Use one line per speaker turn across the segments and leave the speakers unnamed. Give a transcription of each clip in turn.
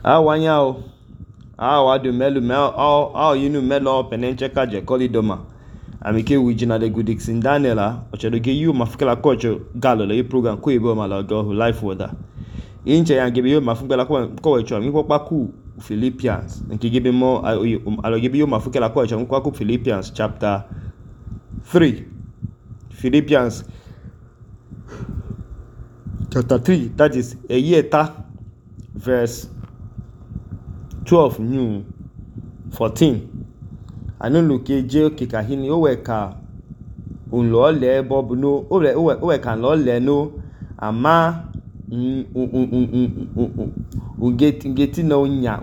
Awanyao awadu melu yinu melo penencheka je kolidoma amike wijina de Goodixon Daniela ochedoge yu mafukela kocho galo le program ko ibo malago life water inche yangebe yu mafukela ko wecho mi popaku Philippians nkigebe mo alogebe yu mafukela ko wecho kwaku Philippians chapter 3 Philippians chapter 3 that is a year verse 12 new 14 anuluke je kikahini oweka unlo le bob no oweka lo le no ama ungeti no unya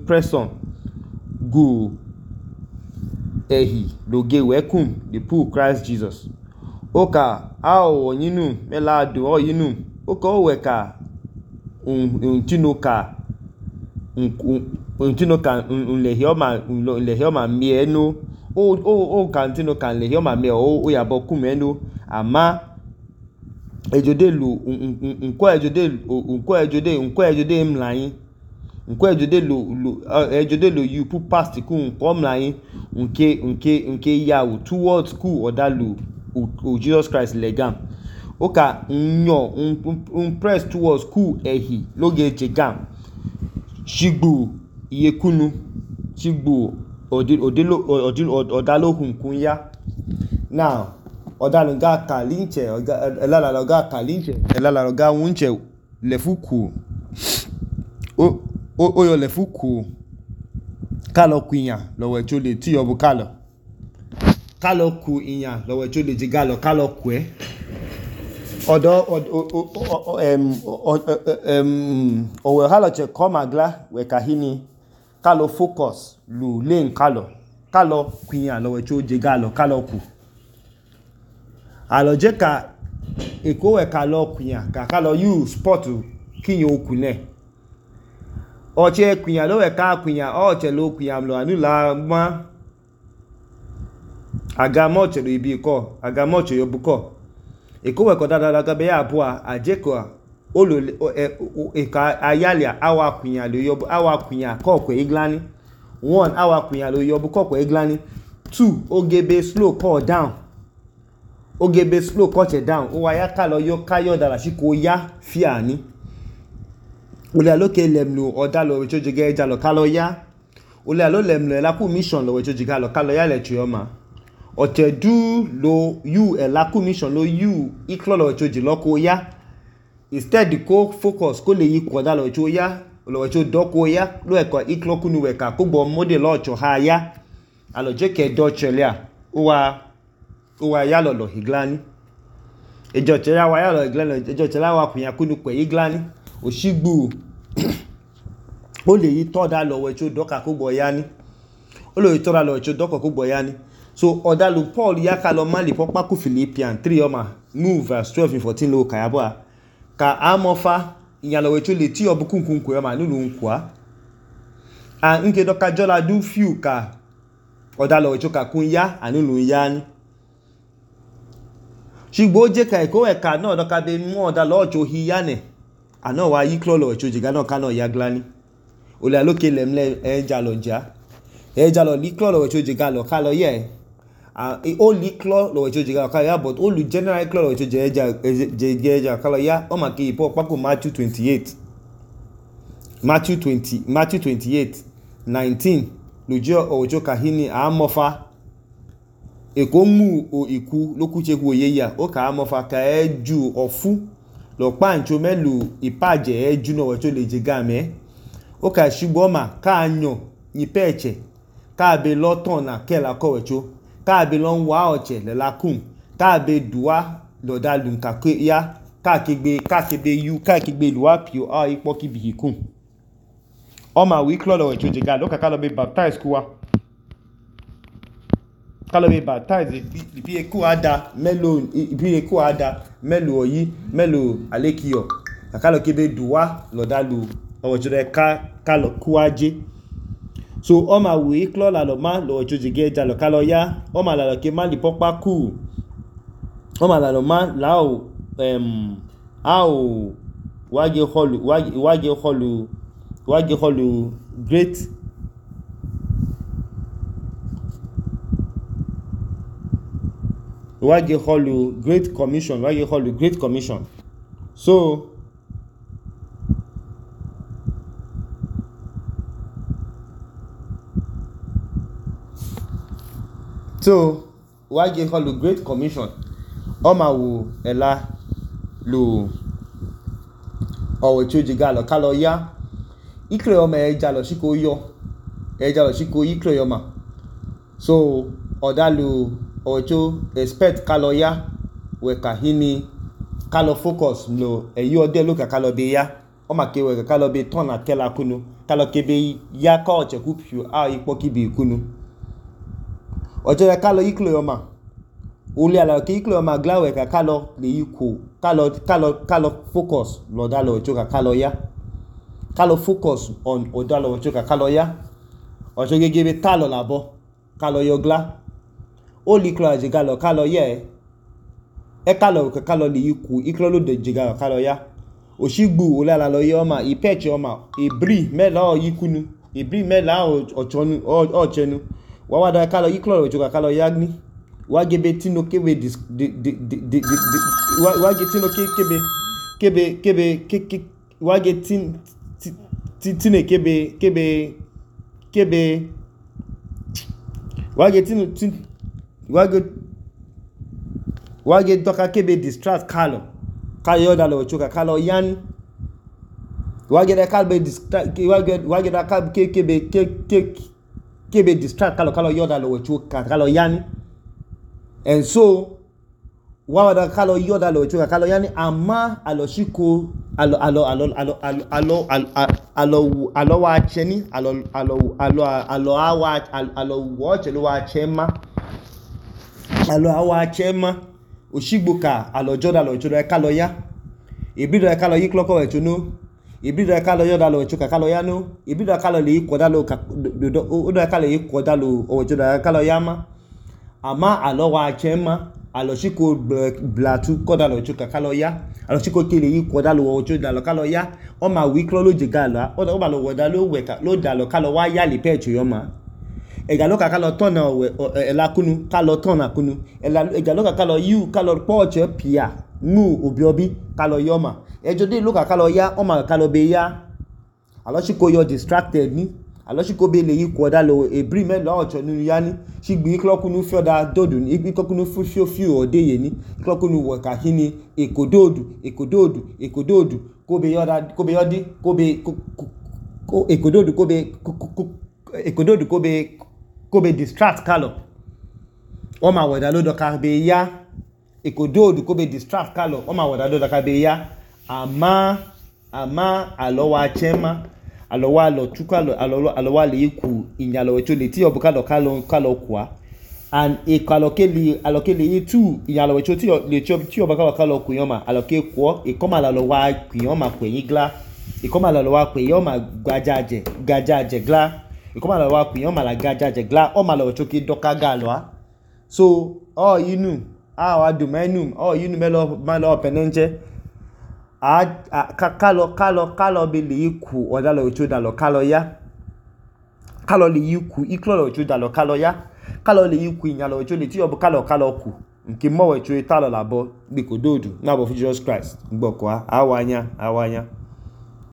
presson go ehi loge wekum the poor Christ Jesus oka awo yinu melado o yinu oka oweka untinoka unlehioma mieno o kantinoka unlehioma mie o yaboku meno ama ejodelu unko ejode mlayin unko ejodelu you put past ku unko mlayin unke yawo towards ku odalu Jesus Christ legam oka nyo press towards ku ehi loge jegam shigbu iyekunu shigbu odalohun kunya now odalunga kalinche elalaga wunche lefuku oyo lefuku kalo kwinya lowe chole ti obu kalo ku inya lowe chole jigalo kalo kwe owe haloche komagla we kahini kalo focus lu len kalo kwinya lowe choje galo kalo ku aloje ka eko we kalo kwinya ka kalo you sport kinyo okune oche kwinya lowe ka kwinya oche lo kwinya lo anula ma agamoche lo ibi ko agamoche yobuko ekowe ko dada ga be ya bua ajeko olo eka ayalia awa kwinya lo yobu awa kwinya kokwe iglani 1 awa kwinya lo yobu kokwe iglani 2 ogebe slow call down ogebe slow coche down o wa ya kalo yo kayo dara shiko ya fiani ole aloke lemlu odalo we chojege ejalo kalo ya ole alo lemlu la ku mission lo we chojege alo kalo ya le chioma otedu lo you elaku mission lo you iklolo we choji loko ya instead ko focus ko le yi koda lo cho ya lo we cho doko ya lo e ko ikloku nu we ka ko gbo model lo cho ha ya alo je ke do chelia uwa ya lolo higlani ejo chela wa ya lo higlani ejo chela wa kunya kunu kwe higlani oshigbu o le yi to da lo we cho doka ko gbo ya ni o lo yi to da lo we cho doko ko gbo ya ni so odalu Paul ya ka lo mali popa ku Philippians 3 oma move verse 12 and 14 lo ka yabo ka amofa iya lo we cho le ti obukunkun ko ma nulu nkwa a nke doka jola du few ka odalu we cho ka kun ya anulu ya ni shigbo je ka eko e ka no doka be mu odalu ocho hi ya ne ana wa yi klolo we cho jiga no ka no ya glani ole aloke lemle ejalo li klolo we cho jiga lo ka lo ye only claw lo wecho jiga kala but only general claw lo wecho jeja kala ya o ma ki po pako Matthew 28:19 lojo ojo kahini amofa ekomu o iku lokuche ku oyeya o ka amofa ka eju ofu lo pancho melu ipaje eju no wecho le jiga me o ka shigbo ma ka anyo ni peche ka be loton na kela ko wecho ka be lon wa oche le lakum ka be duwa lo dalun ka ke ya ka kigbe luwa pio a ipo ki bihikun o ma wi klo lo we choje ga lo ka lo be baptize kuwa ka lo be baptize bi eku ada melo oyi melo alekiyo ka lo ke be duwa lo dalu o choje ka lo kuaje so o ma we klo la lo ma lo chojige ja lo kalo ya o ma la lo ke ma li popa ku o ma la lo ma la o wage holu great commission so wage holu great commission ọma wo ẹla lo ọwọ tí ó jẹ gálọ kálọ ya ikle ọmọ ẹja lọ sí kò ikle ọmọ so ọ̀dà lo ọwọ tí ó expect kálọ ya wẹ̀ka hini kálọ focus lo ẹ̀yí ọdẹ lókà kálọ bẹ ya ọmọ kẹ wẹ̀ka kálọ bẹ tọ́nà kẹla kunu kálọ kẹbẹ ya ká ọ̀chẹ̀kú pìọ á ipọ́ kíbi kunu ọjọ́ rẹ̀ kálọ ikle ọmọ olè àlàkè ikle ọmọ gláwẹ̀ ká kálọ lè yí kálọ focus lọ́dà lọ ọjọ́ ká kálọ ya kálọ focus on ọ̀dà lọ ọjọ́ ká kálọ ya ọjọ́ gẹ́gẹ́ bí tálọ̀ làbọ̀ kálọ yọ glá ó lè ikle àjẹgà lọ kálọ yẹ ẹ kálọ ká kálọ lè yí kú ikle ló dé jẹgà lọ kálọ ya òṣìgbù olè àlàlọ yẹ ọmọ ìpẹ́ẹ̀chì ọmọ ìbírì mẹ́lá ọ̀yíkúnu ìbírì mẹ́lá ọ̀chẹnu wàá wá dá kálọ ikle ọjọ́ ká kálọ ya ní wage be tino kebe wage tino kebe wage tine kebe wage doka kebe distract kalo yoda lo choka kalo yan wage da kalbe distract wage da kalbe kebe distract kalo yoda lo choka kalo yan. And so wawada kalo yoda lo choka kalo yani ama aloshiko alo wa cheni alo watch lo wa chema alo awa chema oshigboka alo joda lo choda kalo ya ibido kalo yikloko we chunu ibido kalo yoda lo choka kalo ya no ibido kalo le koda lo odo kalo yikoda lo o joda kalo yama ama alowa chema aloshiko blatu koda lo choka kalo ya aloshiko kele yi koda lo ojo da lo kalo ya o ma wi klo lo jega la o ba lo woda lo weka lo da lo kalo wa ya le pecho yo ma ega lo ka kalo tona ela kunu kalo tona kunu ega lo ka kalo yu kalo poche pia mu obiobi kalo yo ma ejo de lo ka kalo ya o ma kalo be ya aloshiko yo distracted ni aloshiko be le yi koda lo ebri me lo ocho nu yani shigbi klokunu fioda dodu ni klokunu fio odeye ni klokunu weka hini ekododu kobe yodi ekododu kobe distract kalo o ma weda lo do ka be ya ekododu kobe distract kalo o ma weda lo do ka be ya ama alowa chema alowa lo tukalo alowa le ku inyalo wecho le ti obukalo kalo kwa and alokele yitu inyalo wecho ti le obukalo kalo ku yoma aloke kwo ikoma la lo wa ku yoma ku yigla ikoma la lo wa ku yoma gajaje gla ikoma la lo wa ku yoma la gajaje gla o ma lo wecho ki doka galo so yinu wa do menum yinu melo penenje kalo be le yiku odalo ocho dalo kalo ya kalo le yiku iklo ocho dalo kalo ya kalo le yiku inyalo ocho le ti obo kalo ku nke mo we cho italo labo gbikododu na bo Jesus Christ gboko awanya